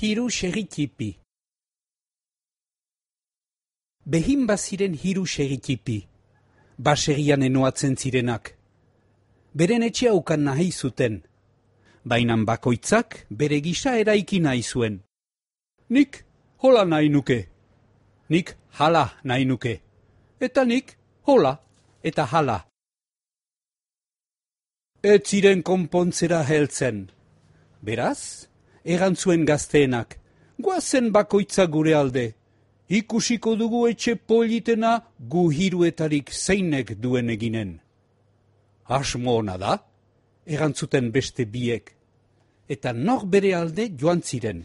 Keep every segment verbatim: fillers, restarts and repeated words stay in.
Hiru segitipi. Behin baziren hiru segitipi, baserrian enoatzen zirenak. Beren etxea ukan nahi zuten, bainan bakoitzak bere gisa eraiki nahi zuen. Nik hola nahi nuke, nik hala nahi nuke, eta nik hola eta hala. Ez ziren konpontzera heltzen. Beraz, erantzuen gazteenak, goazen bakoitza gure alde, ikusiko dugu etxe politena gu hiruetarik zeinek duen eginen. Asmo ona da, erantzuten beste biek, eta nor bere alde joan ziren.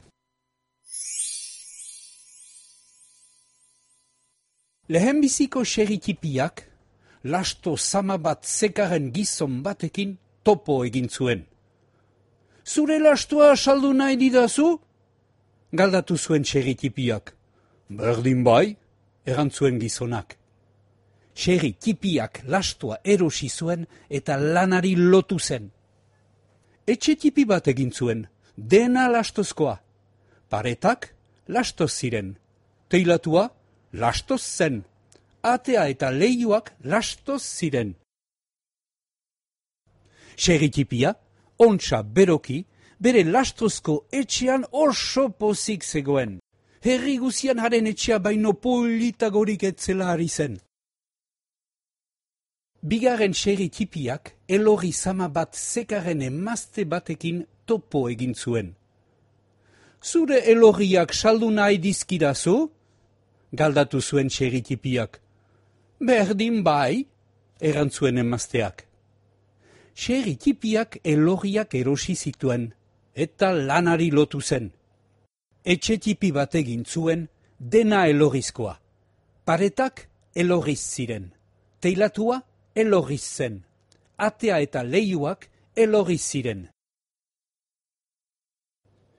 Lehenbiziko segitipiak, lasto zama bat zekaren gizon batekin topo egin zuen. Zure lastoa saldu nahi didazu? Galdatu zuen segitipiak. Berdin bai, erantzuen gizonak. Segitipiak lastoa erosi zuen eta lanari lotu zen. Etxe tipi bat egin zuen, dena lastozkoa. Paretak lastoz ziren, teilatua lastoz zen, atea eta leiuak lastoz ziren. Segitipia, ontsa beroki, bere lastozko etxean oso pozik zegoen. Herri guzian haren etxea baino politagorik etzela ari zen. Bigarren segitipiak elorri zama bat zekaren emazte batekin topo egin zuen. Zure elorriak saldu nahi dizkidazu? Galdatu zuen segitipiak. Berdin bai, erantzuen emazteak. Segitipiak elorriak erosi zituen, eta lanari lotu zen. Etxe tipi bat egin zuen, dena elorrizkoa. Paretak elorriz ziren, teilatua elorriz zen, atea eta leiuak elorriz ziren.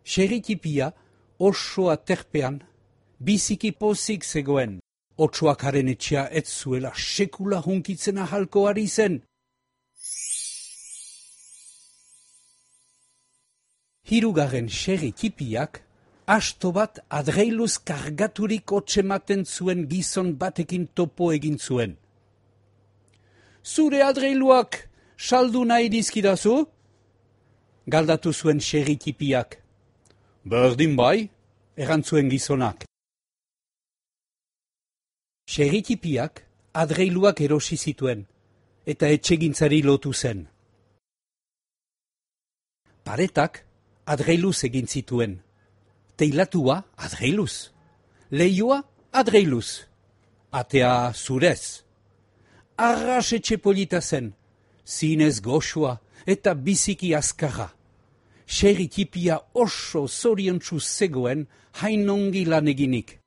Segitipia oso aterpean, biziki pozik zegoen, otsoak haren etxea ez zuela sekula hunkitzen ahalko ari zen. Hirugarren segitipiak, asto bat adreiluz kargaturik otsematen zuen gizon batekin topo egin zuen. Zure adreiluak saldu nahi dizkidazu? Galdatu zuen segitipiak. Berdin bai, erantzuen gizonak. Segitipiak adreiluak erosi zituen, eta etxegintzari lotu zen. Paretak adreiluz egin zituen, teilatua adreiluz, leiua adreiluz, atea zurez. Arras etxe polita zen, zinez goxua eta biziki azkarra. Segitipia oso zoriontsu zegoen hainongi lan eginik.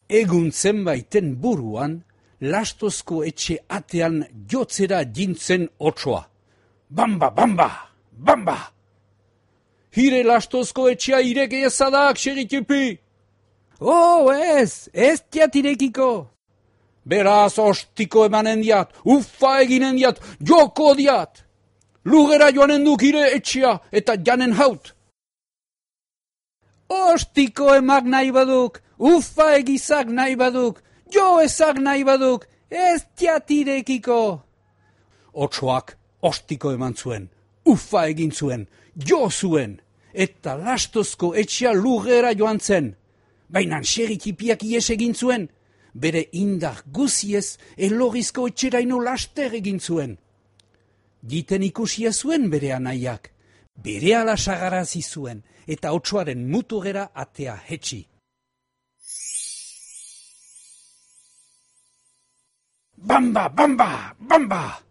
Egun zenbaiten buruan, lastozko etxe atean jotzera jintzen otsoa. Bamba, bamba, bamba! Hire lastozko etxea ireke ezadak, segitipi! Oh, ez, ez tiatirekiko! Beraz ostiko emanen diat, uffa eginen diat, joko diat! Lugera joanen duk hire etxea eta janen haut! Ostiko emak nahi baduk, uffa egizak nahi baduk, jo ezak nahi baduk, ez tiatirekiko! Otsoak ostiko eman zuen, uffa egin zuen, jo zuen, eta lastozko etxea lugera joan zen. Baina segitipiak ies egin zuen, bere indar guziez elorrizko etxeraino laster egin zuen. Giten ikusia zuen bere anaiak, bere ala sagarazi zuen, eta otsoaren muturera atea hetxi. Bamba, bamba, bamba!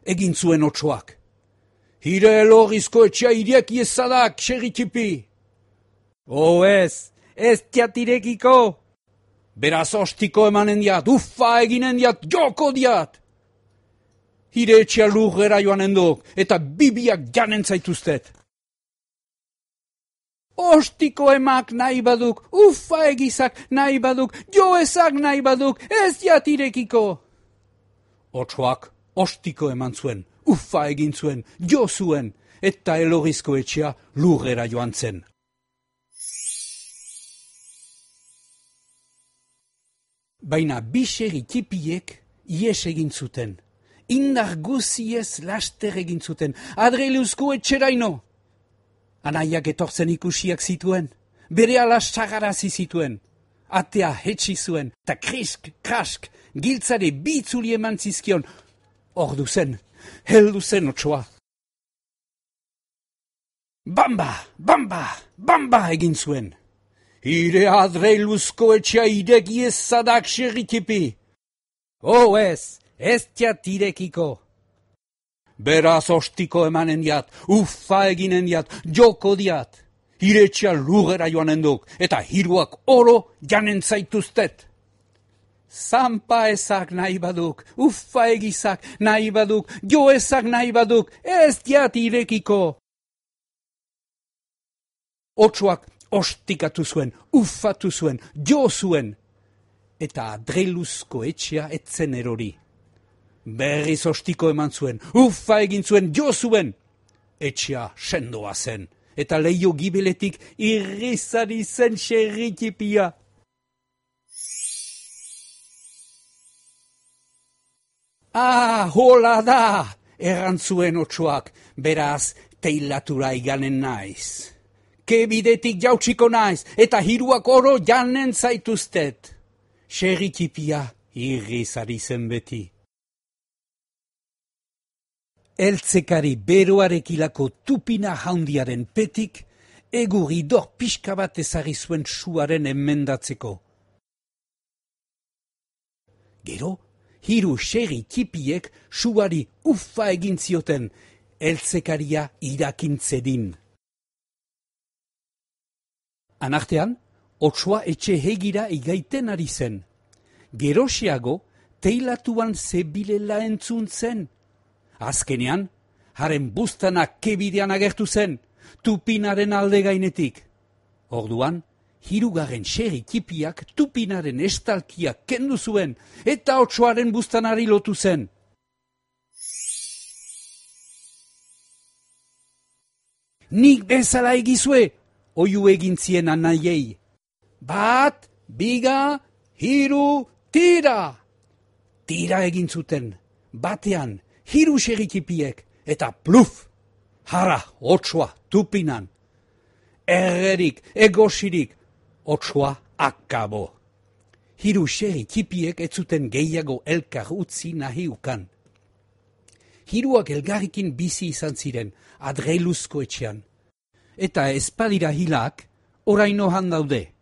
Egin zuen otsoak. Hire elorrizko etxea ireki ezadak, segitipi! Oh ez! Ez tiatirekiko! Beraz ostiko emanen diat, uffa eginen diat, joko diat! Hire etxea lurrera joanen duk, eta bibiak janen zaituztet. Ostiko emak nahi baduk, uffa egizak nahi baduk, jo ezak nahi baduk, ez tiatirekiko! Otsoak ostiko eman zuen, uffa egin zuen, jo zuen, eta Elorrizko etxea lurrera joan zen. Baina bi segi tipiek ies egin zuten. Indar guziez laster egin zuten, Adreiluzko etxeraino. Anaiak etortzen ikusiak zituen, bere ala sagarazi zituen. Atea hetsi zuen, eta krisk, krask, giltzare bitzuli eman zizkion. Ordu zen, heldu zen otsoa. Bamba, bamba, bamba egin zuen. Ire Adreiluzko etxea ireki ezadak serritipi. Oh ez, ez tiat irekiko. Beraz ostiko emanen diat, uffa eginen diat, joko diat. Iretxea lurrera joanen duk, eta hiruak oro janen zaituztet. Zampa ezak nahi baduk, uffa egizak nahi baduk, jo ezak nahi baduk, ez diat irekiko. Otsoak ostikatu zuen, uffatu zuen, jo zuen, eta Adreiluzko etxea etzen erori. Berriz ostiko eman zuen, uffa egin zuen, jo zuen. Etxea sendoa zen, eta leio gibeletik irrizari zen serritipia. Ah, hola da, errantzuen otsoak, beraz teilatura iganen naiz. Kebidetik jautsiko naiz, eta hiruak oro janen zaituztet. Serritipia irrizari zen beti. Eltzekari beroarekilako tupina jaundiaren petik, egurri dor pixka bat ezarri zuen suaren emendatzeko. Gero, hiru serri tipiek suari uffa egin zioten, eltzekaria irakintzedin. Anartean, otsoa etxe hegira igaiten ari zen. Gerosiago, teilatuan zebilela entzun zen. Azkenean, haren buztanak kebidean agertu zen, tupinaren alde gainetik. Orduan, hirugarren serri tipiak tupinaren estalkiak kendu zuen, eta otsoaren buztanari lotu zen. Nik bezala egizue, oiu egin zien anaiei. Bat, biga, hiru, tira! Tira egin zuten, batean, hiru serritipiek, eta pluf! Hara, otsoa, tupinan. Errerik, egosirik, otsoa akabo. Hiru serritipiek ez zuten gehiago elkar utzi nahi ukan. Hiruak elgarrikin bizi izan ziren, Adreiluzko etxean. Eta ezpadira hilak, oraino han daude.